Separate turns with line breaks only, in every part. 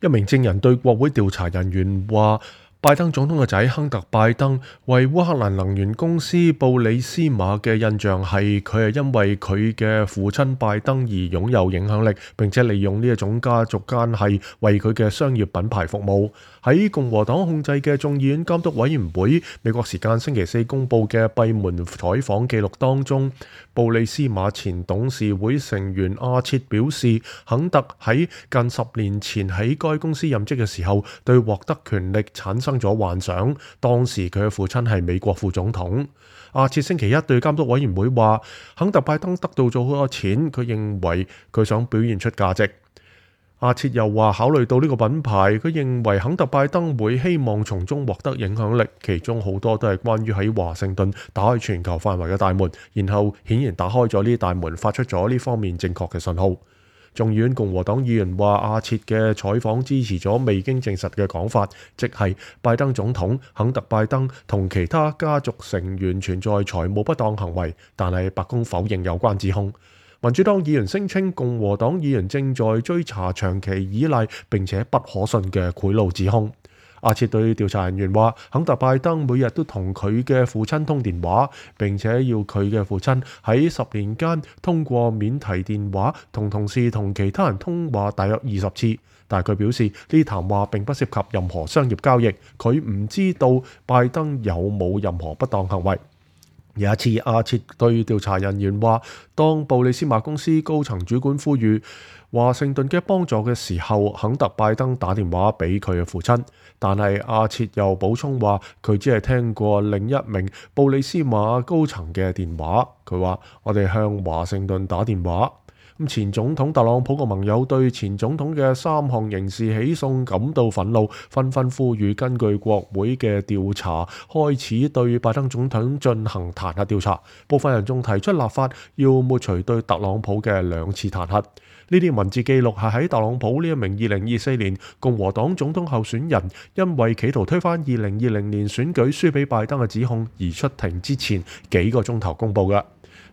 一名證人對國會調查人員話，拜登總統嘅仔亨特·拜登為烏克蘭能源公司布里斯馬嘅印象係佢係因為佢嘅父親拜登而擁有影響力，並且利用呢一種家族關係為佢嘅商業品牌服務。喺共和黨控制嘅眾議院監督委員會美國時間星期四公佈嘅閉門採訪記錄當中，布里斯馬前董事會成員阿切表示，亨特喺近10年前喺該公司任職嘅時候，對獲得權力產生咗幻想。當時佢嘅父親係美國副總統。阿切星期一對監督委員會話，亨特拜登得到咗好多錢，佢認為佢想表現出價值。阿切又話，考慮到呢個品牌，佢認為亨特拜登會希望從中獲得影響力，其中好多都係關於喺華盛頓打開全球範圍嘅大門，然後顯然打開咗呢啲大門，發出咗呢方面正確嘅信號。眾議院共和黨議員話，阿切嘅採訪支持咗未經證實嘅講法，即係拜登總統亨特拜登同其他家族成員存在財務不當行為，但係白宮否認有關指控。民主黨議員聲稱共和黨議員正在追查長期依賴並且不可信嘅賄賂指控。阿切對調查人員話，亨特拜登每日都同佢嘅父親通電話，並且要佢嘅父親喺10年間通過免提電話同同事同其他人通話大約20次。但係佢表示呢啲談話並不涉及任何商業交易，佢唔知道拜登有冇任何不當行為。有一次，阿切對調查人員話，當布里斯馬公司高層主管呼籲華盛頓嘅幫助嘅時候，亨特拜登打電話俾佢嘅父親。但係阿切又補充話，佢只係聽過另一名布里斯馬高層嘅電話。佢話，我哋向華盛頓打電話。前總統特朗普嘅盟友對前總統嘅3項刑事起訴感到憤怒，紛紛呼籲根據國會嘅調查，開始對拜登總統進行彈劾調查。部分人仲提出立法要抹除對特朗普嘅2次彈劾。呢啲文字記錄係喺特朗普呢一名2024年共和黨總統候選人因為企圖推翻2020年選舉輸俾拜登嘅指控而出庭之前幾個鐘頭公佈嘅。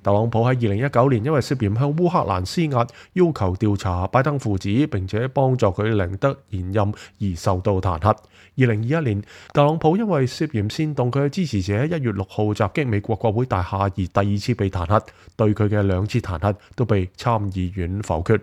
特朗普喺2019年因為涉嫌向烏克蘭施壓，要求調查拜登父子並且幫助佢贏得連任而受到彈劾。2021年，特朗普因為涉嫌煽動佢嘅支持者1月6號襲擊美國國會大廈而第2次被彈劾，對佢嘅2次彈劾都被參議院否決。